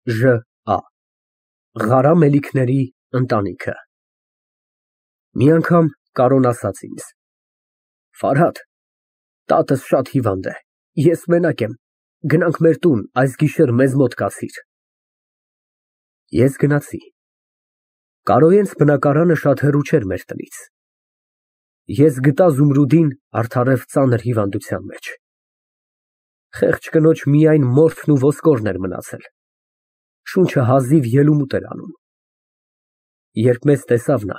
Ժ.Ա. Ղարամ Մելիքների ընտանիքը։ Մի անգամ Կարոն ասաց ինձ. Ֆարհադ, տատս շատ հիվանդ է, ես մենակ եմ, գնանք մեր տուն, այս գիշեր մեզ մոտ կացիր։ Ես գնացի։ Կարոյենց բնակարանը շատ հեռու չէր մեր տնից։ Ես գտա Զումրուդին արդարև ծանր հիվանդության մեջ։ Խեղճ կնոջ միայն մորթն ու ոսկորն էր մնացել։ Շունչը հազիվ ելումուտ էր անում։ Երբ մեզ տեսավ նա,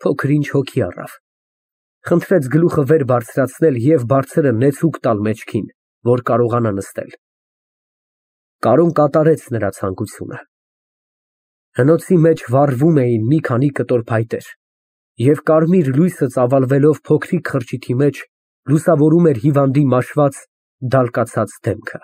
փոքր ինչ հոգի առավ, խնդրեց գլուխը վեր բարձրացնել և բարձրը նեցուկ տալ մեջքին, որ կարողանա նստել։ Կարոն կատարեց նրա ցանկությունը։ Հնոցի մեջ վառվում էին մի քանի կտոր փայտեր, և կարմիր լույսը ծավալվելով փոքրիկ խրճիթի մեջ լուսավորում էր հիվանդի մաշված, դալկացած դեմքը։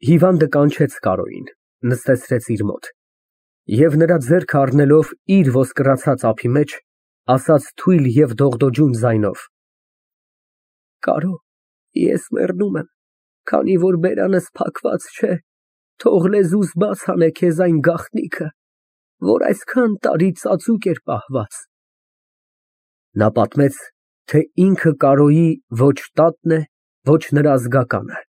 Հիվանդը կանչեց Կարոյին, նստեցրեց իր մոտ և նրա ձեռքը առնելով իր ոսկրացած ափի մեջ, ասաց թույլ և դողդոջուն ձայնով. Կարո, ես մեռնում եմ, քանի որ բերանս փակված չէ, թող լեզուս բաց հանե քեզ այն գաղտնիքը, որ այսքան տարի ծածուկ էր պահված։ Նա պատմեց, թե ինքը Կարոյի ոչ տատն է, ոչ նրա զգականը,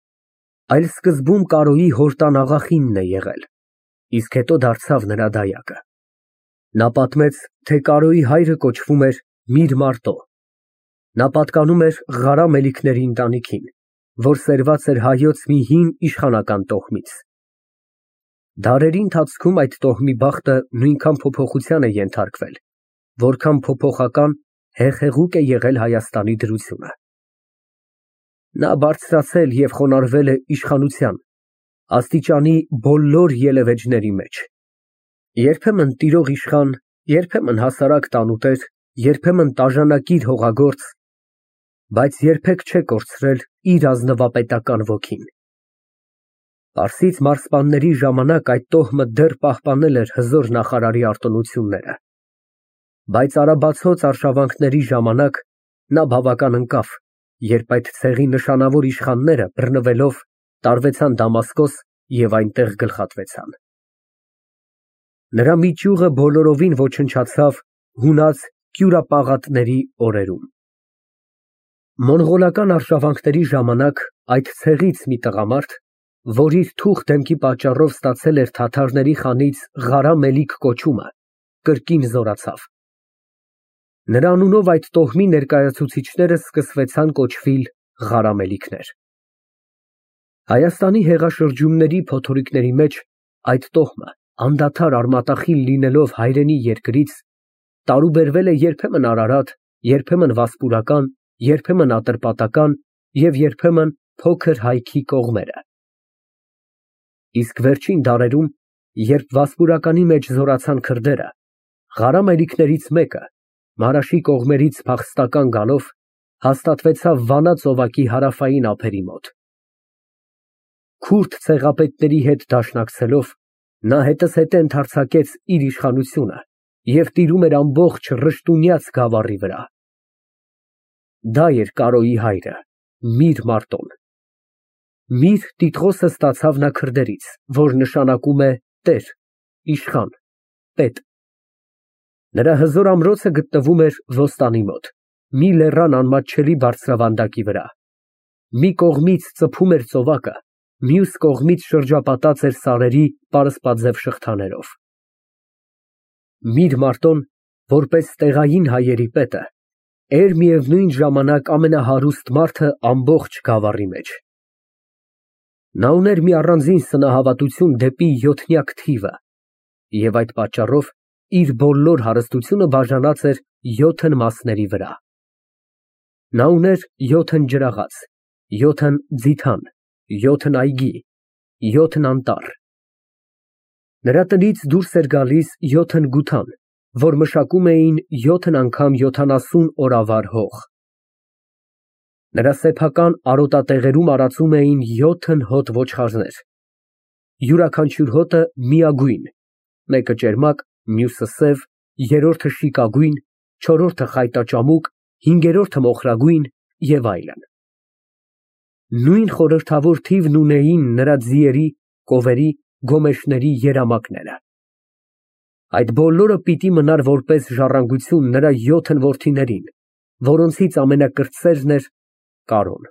այլ սկզբում Կարոյի հորտան աղախինն է եղել, իսկ հետո դարձավ նրա դայակը։ Նա պատմեց, թե Կարոյի հայրը կոչվում էր Միրմարտո։ Նա պատկանում էր Ղարամ Մելիքների ընտանիքին, որ սերված էր հայոց մի հին իշխանական տոհմից։ Դարերի ընթացքում այդ տոհմի բախտը նույնքան փոփոխության է ենթարկվել, որքան փոփոխական հեղեղուկ է եղել Հայաստանի դրությունը։ Նա բարձրացել և խոնարհվել է իշխանության, աստիճանի բոլոր ելևէջների մեջ։ Երբեմն տիրող իշխան, երբեմն հասարակ տանուտեր, երբեմն տաժանակիր հողագործ, բայց երբեք չէ կորցրել իր ազնվապետական ոգին։ Պարսից մարզպանների ժամանակ այդ տոհմը դեռ պահպանել էր հզոր նախարարի արտոնությունները, բայց արաբացոց արշավանքների ժամանակ նա բավական ընկավ, երբ այդ ցեղի նշանավոր իշխանները բռնվելով տարվեցան Դամասկոս և այնտեղ գլխատվեցան։ Նրա մի ճյուղը բոլորովին ոչնչացավ հունած կյուրապաղատների օրերում։ Մոնղոլական արշավանքների ժամանակ այդ ցեղից մի տղամարդ, որ իր թուխ դեմքի պատճառով ստացել էր թաթարների խանից Ղարամ Մելիք կոչումը, կրկին զորացավ։ Նրա անունով այդ տոհմի ներկայացուցիչները սկսվեցան կոչվել Ղարամելիքներ։ Հայաստանի հեղաշրջումների փոթորիկների մեջ այդ տոհմը, անդադար արմատախիլ լինելով հայրենի երկրից, տարուբերվել է երբեմն Արարատ, երբեմն Վասպուրական, երբեմն Ատրպատական և երբեմն Փոքր Հայքի կողմերը։ Իսկ վերջին դարերում, երբ Վասպուրականի մեջ զորացան քրդերը, Ղարամելիքներից մեկը, Մարաշի կողմերից փախստական գալով, հաստատվեցավ Վանա ծովակի հարավային ափերի մոտ։ Քուրդ ցեղապետների հետ դաշնակցելով, նա հետզհետե ընդարձակեց իր իշխանությունը և տիրում էր ամբողջ Ռշտունյաց գավառի վրա։ Դա էր Կարոյի հայրը, Միրմարտոն։ Միր տիտղոսը ստացավ նա քրդերից, որ նշանակում է տեր, իշխան, պետ։ Նրա հզոր ամրոցը գտնվում էր Ոստանի մոտ, մի լեռան անմատչելի բարձրավանդակի վրա։ Մի կողմից ծփում էր ծովակը, մյուս կողմից շրջապատած էր սարերի պարսպաձև շղթաներով։ Միրմարտոն, որպես տեղային հայերի պետը, էր միևնույն ժամանակ ամենահարուստ մարդը ամբողջ գավառի մեջ։ Նա ուներ մի առանձին սնահավատություն դեպի յոթնյակ թիվը և այդ պատճառով իր բոլոր հարստությունը բաժանած էր 7 մասների վրա։ Նա ուներ 7 ջրաղաց, 7 ձիթան, 7 այգի, 7 անտառ։ Նրա տնից դուրս էր գալիս 7 գութան, որ մշակում էին 7 անգամ 70 օրավար հող։ Նրա սեփական արոտատեղերում արածում էին 7 հոտ ոչխարներ։ Յուրաքանչյուր հոտը միագույն, մեկը ճերմակ, մյուսը սև, երրորդը շիկագույն, չորրորդը խայտաճամուկ, հինգերորդը մոխրագույն և այլն։ Նույն խորհրդավոր թիվն ունեին նրա ձիերի, կովերի, գոմեշների երամակները։ Այդ բոլորը պիտի մնար որպես ժառանգություն նրա 7 որդիներին, որոնցից ամենակրտսերն էր Կարոն։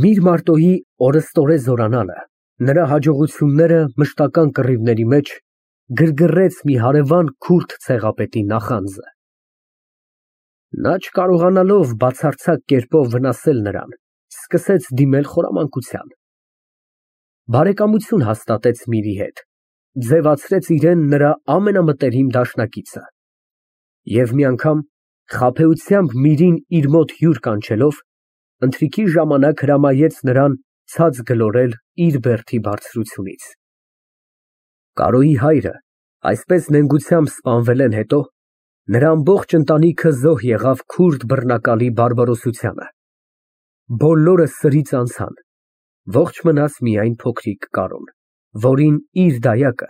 Միր Մարտոյի օրըստօրե զորանալը, նրա հաջողությունները մշտական կռիվների մեջ գրգռեց մի հարևան քուրդ ցեղապետի նախանձը։ Նա չկարողանալով բացարձակ կերպով վնասել նրան, սկսեց դիմել խորամանկության։ Բարեկամություն հաստատեց Միրի հետ, ձևացրեց իրեն նրա ամենամտերիմ դաշնակիցը և մի անգամ խաբեությամբ Միրին իր մոտ հյուր կանչելով, ընթրիքի ժամանակ հրամայեց նրան ցած գլորել իր բերդի բարձրությունից։ Կարոյի հայրը այսպես նենգությամբ սպանվելեն հետո նրա ամբողջ ընտանիքը զոհ եղավ քուրդ բռնակալի բարբարոսությանը։ Բոլորը սրից անցան, ողջ մնաց միայն փոքրիկ Կարոն, որին իր դայակը,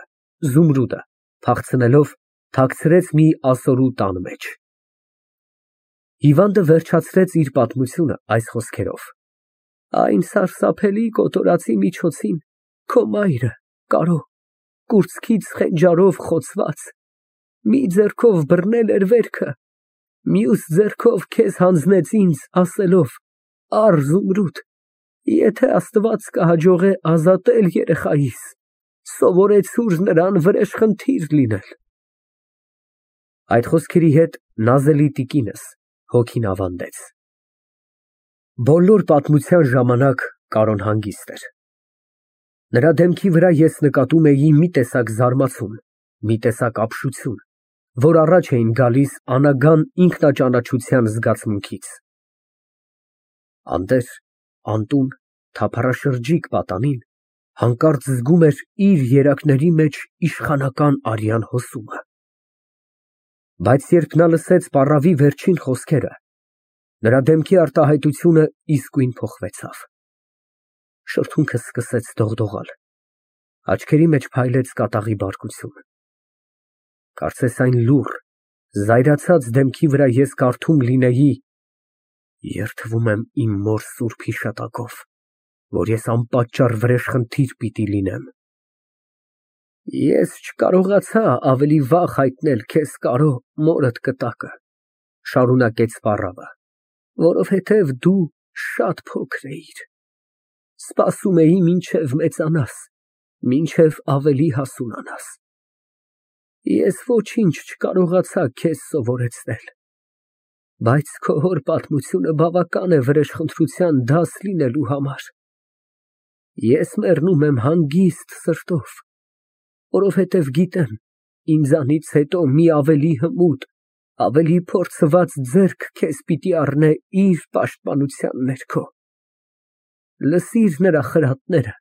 Զումրուդը, փախցնելով թաքցրեց մի ասորու տան մեջ։ Հիվանդը վերջացրեց իր պատմությունը այս խոսքերով. Այն սարսափելի կոտորածի միջոցին քո մայրը, Կարո, կուրծքից խենջարով խոցված, մի ձեռքով բռնել էր վերքը, մյուս ձեռքով քեզ հանձնեց ինձ, ասելով. «Առ, Զումրուդ, եթե Աստված կհաջողե ազատել երեխայիս, սովորեցուր նրան վրեժխնդիր լինել»։ Այդ խոսքերի հետ նազելի տիկինս հոգին ավանդեց։ Բոլոր պատմության ժամանակ Կարոն հանգիստ էր։ Նրա դեմքի վրա ես նկատում էի մի տեսակ զարմացում, մի տեսակ ապշություն, որ առաջ էին գալիս անագան ինքնաճանաչության զգացմունքից։ Անտեր, անտուն, թափառաշրջիկ պատանին հանկարծ զգում էր իր երակների մեջ իշխանական արյան հոսումը։ Բայց երբ նա լսեց պառավի վերջին խոսքերը, նրա դեմքի արտահայտությունը իսկույն փոխվեցավ։ Շրթունքն սկսեց դողդողալ, աչքերի մեջ փայլեց կատաղի բարկություն։ Կարծես այն լուռ, զայրացած դեմքի վրա ես կարդում լինեի. «Երդվում եմ իմ մոր սուրբ հիշատակով, որ ես անպատճառ վրեժխնդիր պիտի լինեմ»։ Ես չկարողացա ավելի վաղ հայտնել քեզ, Կարո, մորդ կտակը, շարունակեց պառավը, որովհետև դու շատ փոքր էիր։ Սպասում էի մինչև մեծանաս, մինչև ավելի հասունանաս։ Ես ոչինչ չկարողացա քեզ սովորեցնել, բայց քո հոր պատմությունը բավական է վրեժխնդրության դաս լինելու համար։ Ես մեռնում եմ հանգիստ սրտով, որովհետև գիտեմ, ինձանից հետո մի ավելի հմուտ, ավելի փորձված ձեռք քեզ պիտի առնե իր պաշտպանության ներքո։ Լսիր նրա խրատները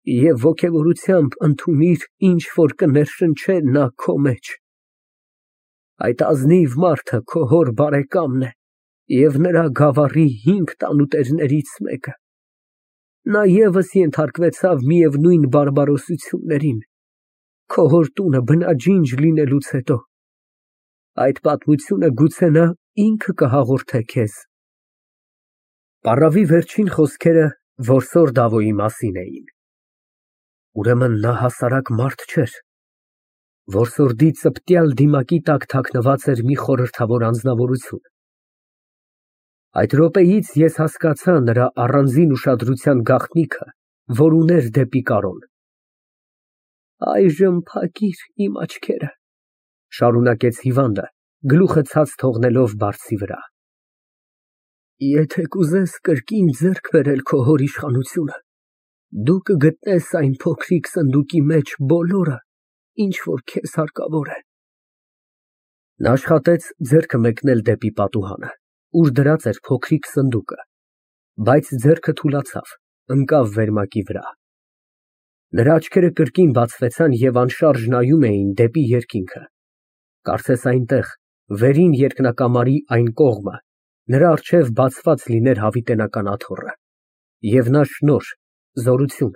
և ոգևորությամբ ընդունիր, ինչ որ կներշնչե նա քո մեջ։ Այդ ազնիվ մարդը քո հոր բարեկամն է և նրա գավառի 5 տանուտերներից մեկը։ Նա ևս ենթարկվեցավ միևնույն բարբարոսություններին, քո հոր տունը բնաջինջ լինելուց հետո։ Այդ պատմությունը գուցե նա ինքը կհաղորդե քեզ։ Պառավի վերջին խոսքերը որսոր Դավոյի մասին էին։ Ուրեմն նա հասարակ մարդ չէր։ Որսորդի ծպտյալ դիմակի տակ թաքնված էր մի խորհրդավոր անձնավորություն։ Այդ րոպեից ես հասկացա նրա առանձին ուշադրության գաղտնիքը, որ ուներ դեպի Կարոն։ Այժմ փակիր իմ աչքերը, շարունակեց հիվանդը, գլուխը ցած թողնելով բարձի վրա։ Եթե կուզես կրկին ձեռք բերել քո հոր իշխանությունը, դու կգտնես այն փոքրիկ սնդուկի մեջ բոլորը, ինչ որ քեզ հարկավոր է։ Նա աշխատեց ձեռքը մեկնել դեպի պատուհանը, ուր դրած էր փոքրիկ սնդուկը, բայց ձեռքը թուլացավ, ընկավ վերմակի վրա։ Նրա աչքերը կրկին բացվեցան և անշարժ նայում էին դեպի երկինքը։ Կարծես այնտեղ, վերին երկնակամարի այն կողմը, նրա առջև բացված լիներ հավիտենական աթոռը, և նա շնորհ, զորություն,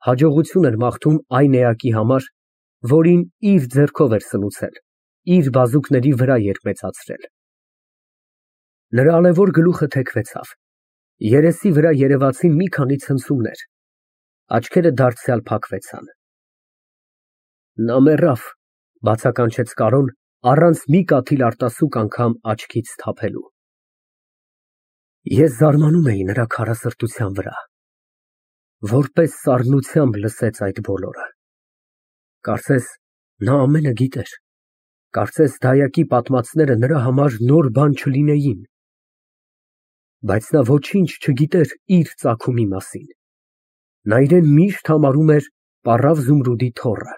հաջողություն էր մաղթում այն էակի համար, որին իր ձեռքով էր սնուցել, իր բազուկների վրա էր մեծացրել։ Նրա ալեվոր գլուխը թեքվեցավ, երեսի վրա երևացին մի քանի ցնցումներ, աչքերը դարձյալ փակվեցան։ Նա մեռավ, բացականչեց Կարոն, առանց մի կաթիլ արտասուք անգամ աչքից թափելու։ Ես զարմանում էի նրա քարասրտության վրա, որպես սառնությամբ լսեց այդ բոլորը։ Կարծես նա ամենը գիտեր, կարծես դայակի պատմածները նրա համար նոր բան չլինեին, բայց նա ոչինչ չգիտեր իր ծագումի մասին։ Նա իրեն միշտ համարում էր պառավ Զումրուդի թոռը։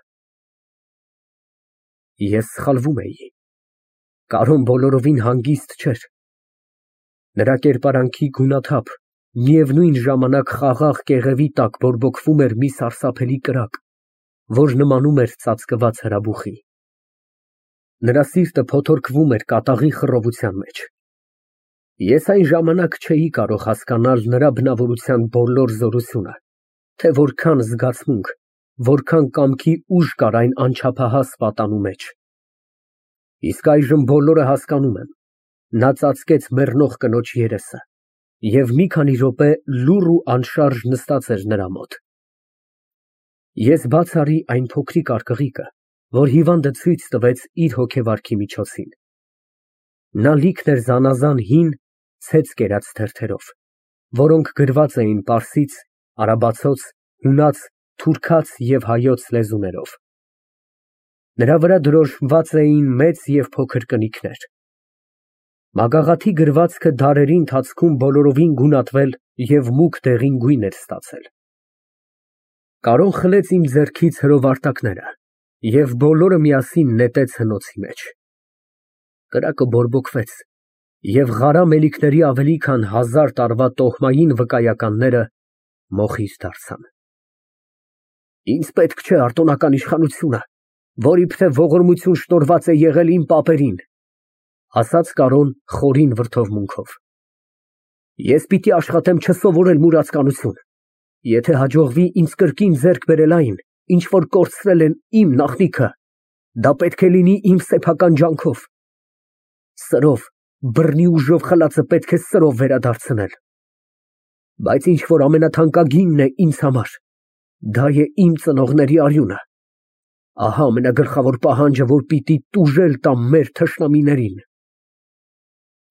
Ես սխալվում էի։ Կարոն բոլորովին հանգիստ չէր։ Նրա կերպարանքի գունաթափ, միևնույն ժամանակ խաղաղ կեղևի տակ բորբոքվում էր մի սարսափելի կրակ, որ նմանում էր ծածկված հրաբուխի։ Նրա սիրտը փոթորկվում էր կատաղի խռովության մեջ։ Ես այն ժամանակ չէի կարող հասկանալ նրա բնավորության բոլոր զորությունը, թե որքան զգացմունք, որքան կամքի ուժ կար այն անչափահաս պատանու մեջ։ Իսկ այժմ բոլորը հասկանում եմ։ Նա ծածկեց մեռնող կնոջ երեսը և մի քանի րոպե լուռ ու անշարժ նստած էր նրա մոտ։ Ես բաց արի այն փոքրիկ արկղիկը, որ հիվանդը ցույց տվեց իր հոգեվարքի միջոցին։ Նա լիքն էր զանազան հին, ցեց կերած թերթերով, որոնք գրված էին պարսից, արաբացոց, հունաց, թուրքաց և հայոց լեզուներով։ Նրա վրա դրոշմված էին մեծ և փոքր կնիկներ։ Մագաղաթի գրվածքը դարերի ընթացքում բոլորովին գունատվել և մուգ դեղին գույն էր ստացել։ Կարոն խլեց իմ ձեռքից հրովարտակները և բոլորը միասին նետեց հնոցի մեջ։ Կրակը բորբոքվեց, և ղարա մելիքների ավելի քան 1000 տարվա տոհմային վկայականները մոխիր դարձան։ Ինձ պետք չէ արտոնական իշխանությունը, որ իբրև ողորմություն շնորհված է եղել իմ պապերին, ասաց Կարոն խորին վրդովմունքով։ Ես պիտի աշխատեմ չսովորել մուրացկանություն։ Եթե հաջողվի ինձ կրկին ձեռք բերել այն, ինչ որ կորցրել են իմ նախնիքը, դա պետք է լինի իմ սեփական ջանքով։ Սրով, բռնի ուժով խլածը պետք է սրով վերադարձնել։ Բայց ինչ որ ամենաթանկագինն է ինձ համար, դա է իմ ծնողների արյունը։ Ահա ամենագլխավոր պահանջը, որ պիտի տուժել տամ մեր թշնամիներին։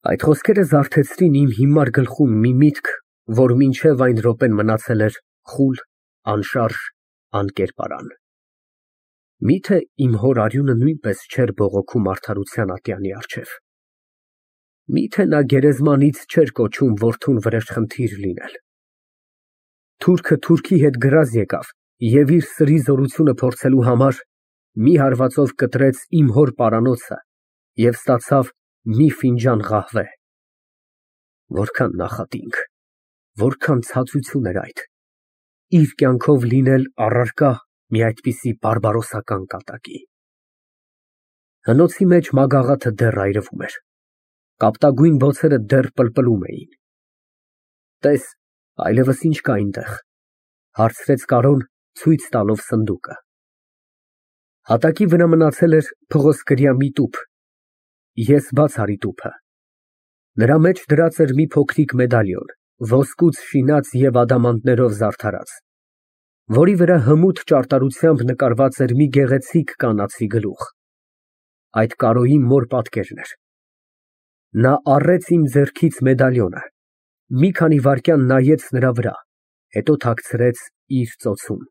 Այդ խոսքերը զարթեցրին իմ հիմար գլխում մի միտք, որ մինչև այն րոպեն մնացել էր խուլ, անշարժ, անկերպարան։ Միթե իմ հոր արյունը նույնպես չէր բողոքում արդարության ատյանի առջև։ Միթե նա գերեզմանից չէր կոչում որդուն վրեժխնդիր լինել։ Թուրքը թուրքի հետ գրազ եկավ և իր սրի զորությունը փորձելու համար մի հարվածով կտրեց իմ հոր պարանոցը և ստացավ մի ֆինջան ղահվե։ Որքան նախատինք, որքան ցածություն էր այդ, իր կյանքով լինել առարկա մի այդպիսի բարբարոսական կատակի։ Հնոցի մեջ մագաղաթը դեռ այրվում էր, կապտագույն բոցերը դեռ պլպլում էին։ Տես, այլևս ինչ կա այնտեղ, հարցրեց Կարոն, ցույց տալով սնդուկը։ Հատակի վրա մնացել էր փղոսկրյա մի տուփ։ Ես բաց արի տուփը։ Նրա մեջ դրած էր մի փոքրիկ մեդալիոն, ոսկուց շինած և ադամանդներով զարդարած, որի վրա հմուտ ճարտարությամբ նկարված էր մի գեղեցիկ կանացի գլուխ։ Այդ Կարոյի մոր պատկերն էր։ Նա առեց իմ ձեռքից մեդալիոնը, մի քանի վայրկյան նայեց նրա վրա, հետո թաքցրեց իր ծոցում։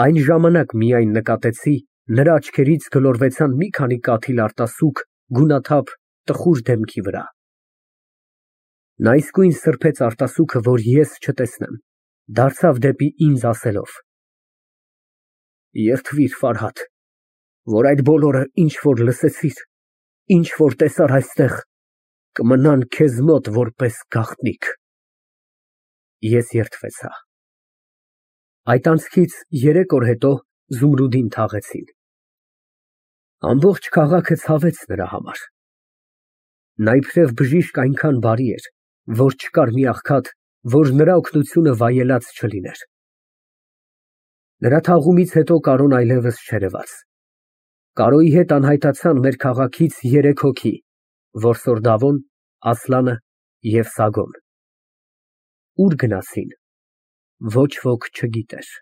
Այն ժամանակ միայն նկատեցի, նրա աչքերից գլորվեցան մի քանի կաթիլ արտասուք գունաթափ, տխուր դեմքի վրա։ Նա իսկույն սրբեց արտասուքը, որ ես չտեսնեմ, դարձավ դեպի ինձ ասելով. Երդվիր, Ֆարհադ, որ այդ բոլորը, ինչ որ լսեցիր, ինչ որ տեսար այստեղ, կմնան քեզ մոտ որպես գաղտնիք։ Ես երդվեցա։ Այդ անցքից 3 օր հետո Զումրուդին թաղեցին։ Ամբողջ քաղաքը ցավեց նրա համար։ Նա իբրև բժիշկ այնքան բարի էր, որ չկար մի աղքատ, որ նրա օգնությունը վայելած չլիներ։ Նրա թաղումից հետո Կարոն այլևս չերևաց։ Կարոյի հետ անհայտացան մեր քաղաքից 3 հոգի, որսոր Դավոն, Ասլանը և Սագոն։ Ուր գնացին, ոչ ոք չգիտեր։